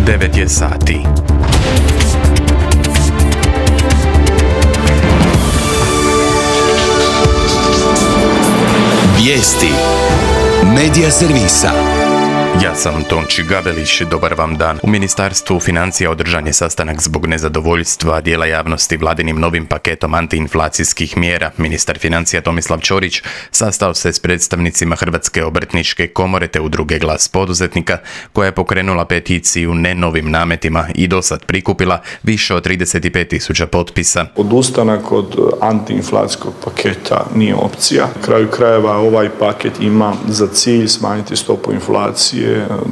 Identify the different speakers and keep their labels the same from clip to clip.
Speaker 1: 9 je sati.
Speaker 2: Vijesti Medija servisa.
Speaker 1: Ja sam Tonči Gabelić, dobar vam dan. U Ministarstvu financija održan je sastanak zbog nezadovoljstva dijela javnosti vladinim novim paketom antiinflacijskih mjera. Ministar financija Tomislav Ćorić sastao se s predstavnicima Hrvatske obrtničke komore te udruge Glas poduzetnika, koja je pokrenula peticiju ne novim nametima i dosad prikupila više od 35.000 potpisa.
Speaker 3: Odustanak od antiinflacijskog paketa nije opcija. Na kraju krajeva ovaj paket ima za cilj smanjiti stopu inflacije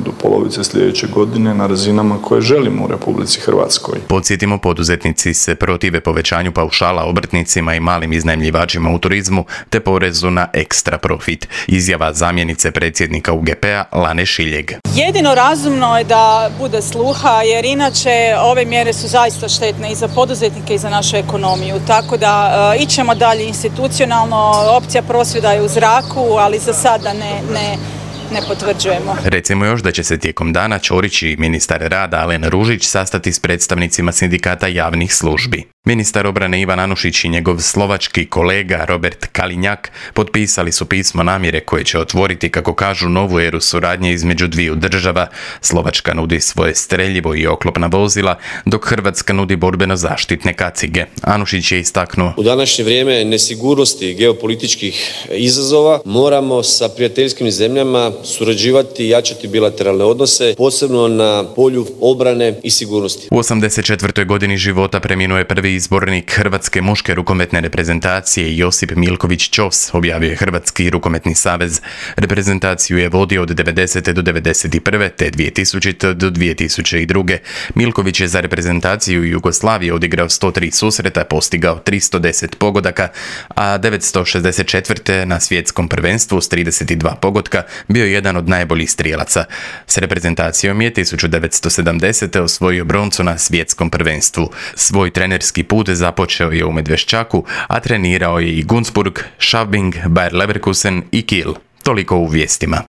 Speaker 3: do polovice sljedeće godine na razinama koje želimo u Republici Hrvatskoj.
Speaker 1: Podsjetimo, poduzetnici se protive povećanju paušala obrtnicima i malim iznajmljivačima u turizmu te porezu na ekstra profit. Izjava zamjenice predsjednika UGP-a Lane Šiljeg.
Speaker 4: Jedino razumno je da bude sluha, jer inače ove mjere su zaista štetne i za poduzetnike i za našu ekonomiju. Tako da ićemo dalje institucionalno, opcija prosvjeda je u zraku, ali za sada ne potvrđujemo.
Speaker 1: Recimo još da će se tijekom dana Ćorić i ministar rada Alen Ružić sastati s predstavnicima sindikata javnih službi. Ministar obrane Ivan Anušić i njegov slovački kolega Robert Kalinjak potpisali su pismo namjere koje će otvoriti, kako kažu, novu eru suradnje između dviju država. Slovačka nudi svoje streljivo i oklopna vozila, dok Hrvatska nudi borbeno-zaštitne kacige. Anušić je istaknuo:
Speaker 5: u današnje vrijeme nesigurnosti i geopolitičkih izazova moramo sa prijateljskim zemljama surađivati i jačati bilateralne odnose, posebno na polju obrane i sigurnosti.
Speaker 1: U 84. godini života preminuo je prvi izbornik Hrvatske muške rukometne reprezentacije Josip Milković Ćos, objavio je Hrvatski rukometni savez. Reprezentaciju je vodio od 90. do 91. te 2000. do 2002. Milković je za reprezentaciju Jugoslavije odigrao 103 susreta, postigao 310 pogodaka, a 964. na svjetskom prvenstvu s 32 pogotka bio jedan od najboljih strijelaca. S reprezentacijom je 1970. osvojio broncu na svjetskom prvenstvu. Svoj trenerski put započeo je u Medveščaku, a trenirao je i Gunzburg, Schaubing, Bayer Leverkusen i Kiel. Toliko u vijestima.